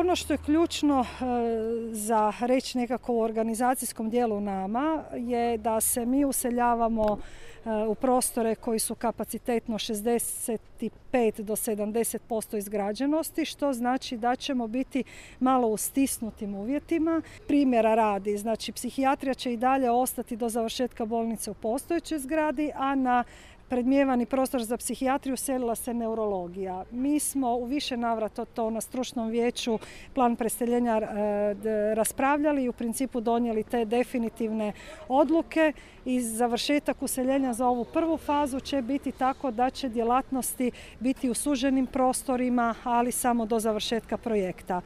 Ono što je ključno za reći nekako u organizacijskom dijelu nama je da se mi useljavamo u prostore koji su kapacitetno 65 do 70% izgrađenosti, što znači da ćemo biti malo u stisnutim uvjetima. Primjera radi, znači psihijatrija će i dalje ostati do završetka bolnice u postojećoj zgradi, a na predmijevani prostor za psihijatriju selila se neurologija. Mi smo u više navrata to na stručnom vijeću plan preseljenja raspravljali i u principu donijeli te definitivne odluke i završetak useljenja za ovu prvu fazu će biti tako da će djelatnosti biti u suženim prostorima, ali samo do završetka projekta.